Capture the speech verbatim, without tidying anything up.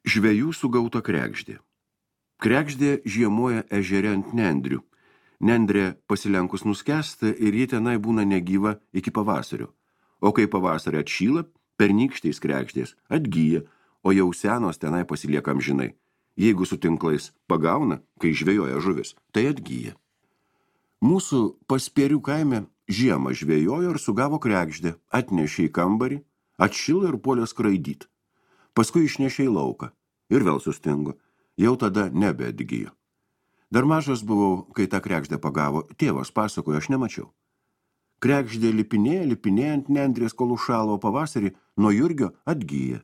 Žvejų sugauta kregždė. Kregždė žiemoja ežere ant nendrių. Nendrė pasilenkus nuskęsta ir ji tenai būna negyva iki pavasario. O kai pavasarį atšyla, pernykštės kregždės atgyja, o jau senos tenai pasilieka amžinai. Jeigu su tinklais pagauna, kai žvejoja žuvis, tai atgyja. Mūsų Paspėrių kaime žiemą žvejojo ir sugavo kregždę, atnešė į kambarį, atšilo ir puolė skraidyt. Paskui išnešė į lauką ir vėl sustingo, jau tada nebeatgyjo. Dar mažas buvau, kai tą kregždę pagavo, tėvas pasakojo, aš nemačiau. Kregždė lipinėja, lipinėja ant nendrės, kol užšalo, o pavasarį nuo jurgio atgyja.